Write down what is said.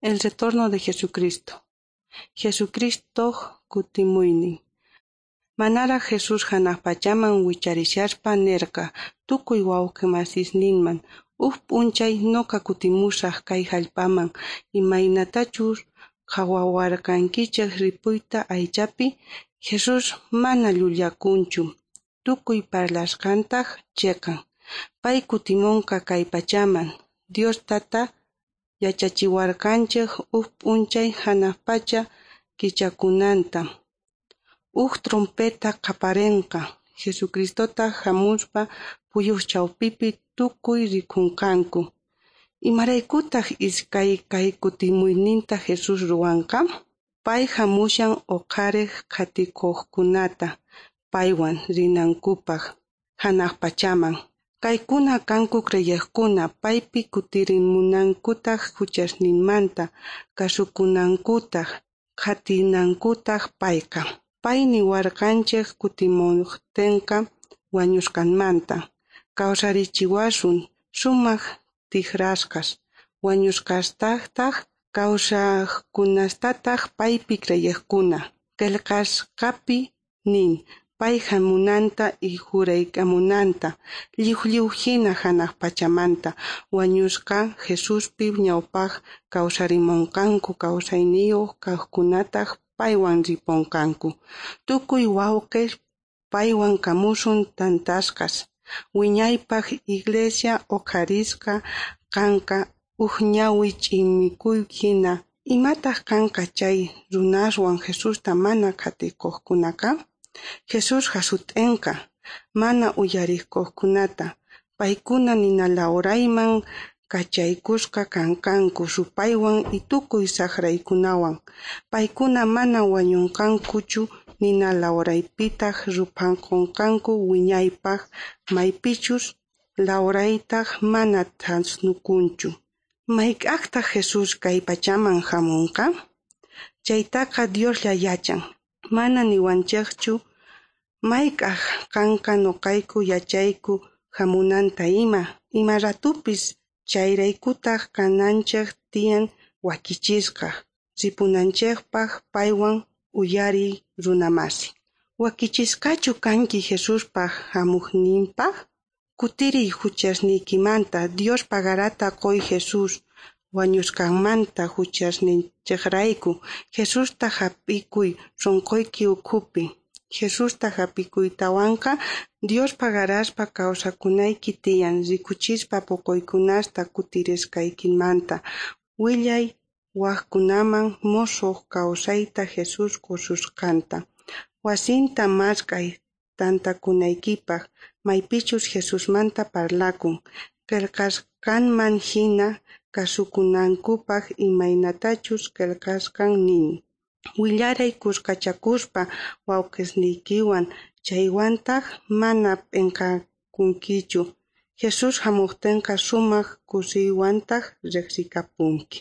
El retorno de Jesucristo. Jesucristoj kutimuynin. Manaraj Jesús janaj pachaman wicharishaspa nerqa tukuy wawqe masisninman: Uj p'unchay noqa kutimusaj kay jallp'aman, imaynatachus qhawawarqankichej ripuyta aychapi. Jesús mana llullakunchu, tukuy parlasqantaj cheqan. Pay kutimonqa kay pachaman. Dios Tata yachachiwarqanchej uj p'unchay janaj pacha kichakunanta. Uj trompeta qhaparenqa, Jesucristotaj jamuspa phuyus chawpipi tukuy rikonqanku. Imaraykutaj iskay kay kutimuyninta Jesús ruwanqa? Pay jamushan oqharej qhatikojkunata paywan rinankupaj janaj pachaman. Kaykuna kanku creyejkuna paypi kutirimunankutaj juchasninmanta, kasukunankutaj, qhatinankutaj payqa. Pay niwarqanchej kutimojtenqa wañusqanmanta kawsarichiwasun sumaj tijrasqas, wañusqastajtaj kawsajkunastataj paypi creyejkuna. Qhelqasqapi nin pay jamunanta y juraykamunanta lliw lliw jina janaj pachamanta. Wañusqa Jesuspi ñawpaj kawsarimonqanku, kawsayniyoj kajkunataj paywan riponqanku. Tukuy wawqes paywan kamusun tantasqas. Wiñaypaj iglesia oqharisqa kanqa uj ñawi ch'imikuy jina. Imataj kanqa chay runaswan Jesusta mana qhatikojkunaqa? Jesús jasut'enqa mana uyarikojkunata. Paykuna nina lawrayman kachaykusqa kanqanku supaywan y tukuy sajraykunawan. Paykuna mana wañonqankuchu, nina lawraypitaj ruphankonqanku wiñaypaj, maypichus lawraytaj mana thasnukunchu. Mayk'ajtaj Jesús kay pachaman jamonqa? Chaytaqa Dioslla yachan. Mana niwanchejchu mayk'aj kanqa, noqayku yachayku jamunanta ima ratupis. Chayraykutaj kananchej tiyan wakichisqa ripunanchejpaj paywan. Uyariy runa masi. Wakichisqachu kanki Jesuspaj jamuyninpaj? Kutiriy juchasniykimanta, Dios pagarata qoy Jesús wañusqanmanta juchasninchejrayku. Jesusta jap'ikuy sonqoyki ukhupi. Jesusta jap'ikuytawanqa Dios pagaraspa kawsakunayki tiyan, rikuchispa poqoykunasta kutirisqaykimanta. Willay wajkunaman mosoj kawsayta Jesús qosusqanta. Wasinta mask'ay tantakunaykipaj, maypichus Jesusmanta parlakun. Qhelqasqanman jina kasukunankupaj, imaynatachus qhelqasqan nin. Willaray khuskachakuspa wawqesniykiwan, chaywantaj mana p'enqakunkichu. Jesús jamojtenqa sumaj kusiywantaj rejsikapunki.